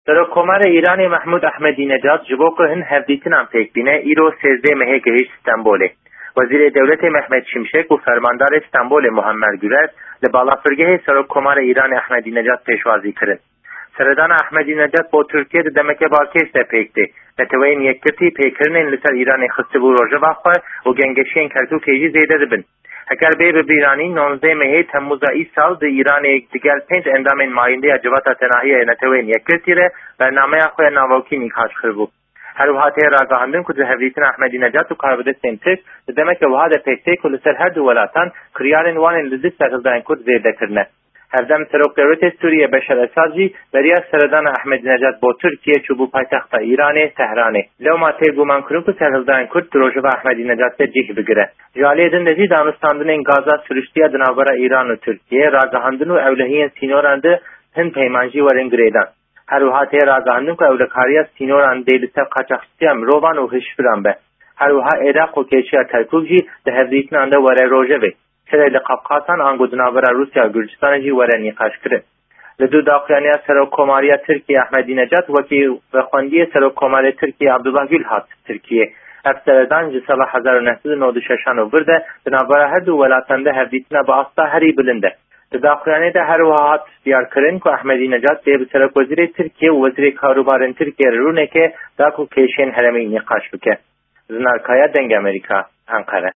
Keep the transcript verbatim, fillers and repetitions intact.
Serokkomarê Îranê Mehmûd Ehmedînecad ji bo ku hin hevdîtinan pêk bîne, îro sêzdeh mehê gihîşt Stenbolê. Wezîrê Dewletê Mehmet Şimşek û Fermandarê Stenbolê Muammer Guler li balafirgehê Serokkomarê Îranê Ehmedînecad pêşwazî kirin. Seredana Ehmedînecad bo Tirkiye di demeke balkêş de pêk tê. Neteweyên Yekgirtî pêkirinên li ser Îranê xistibû rojeva xwe û gengeşiyên Kerkûkê jî zêde dibin. Heger bê bibîranîn, nonzdeh mehê Temmûza îsal di Îranê digel pênc endamên mayînde ya Civata Tenahiya ya Neteweyên Yekgirtî re bernameya xwe ya navokî nîqaş kiribû. Her wiha tê ragihandin ku di hevdîtina Ehmedînecad û karbidestên Tirk di demeke wiha de pêk tê ku li ser her du welatan kiryarên wan ên li dijî serhildayên Kurd zêde kirine. Hevdem Serok Dewletê Sûriye Beşar Esad jî beriya seredana Ehmedînecad bo Tirkiye çûbû paytexta Îranê, Tehranê. Lewma tê gumankirin ku serhildayên Kurd di rojeva Ehmedînecad de cih bigire. Ji aliyê din de jî danûstandinên gaza siruştiya di navbera Îran û Tirkiye, ragihandin û ewlehiyên sînoran di hin peyman jî werin girêdan. Her wiha tê ragihandin ku ewlekariya sînoran dê li ser qaçaxçitiya mirovan û hişviran be. Her wiha Iraq û kêşiya Kerkûk jî di hevdîtinan de were rojevê. Şerê li Qafqasan ango di navbera Rûsya û Gurcistanê jî were nîqaşkirin. Li dû daxuyaniya Serokkomariya Tirkiyê Ehmedînecad wekî vexwendiyê Serokkomarê Tirkiyê Abdullah Gül hat Tirkiyê. Ev seredan ji sala hezar û neh sed û nod û şeşan û vir de di navbera her du welatan de hevdîtina bi asta herî bilind e. Di daxuyaniyê de her wiha hat diyarkirin ku Ehmedînecad dê bi Serokwezîrê Tirkiyê û Wezîrê Karûbarên Tirkiyê re rûneke da ku kêşên herêmî nîqaş bike. Zinar Kaya, Dengê Amerîka, Enqere.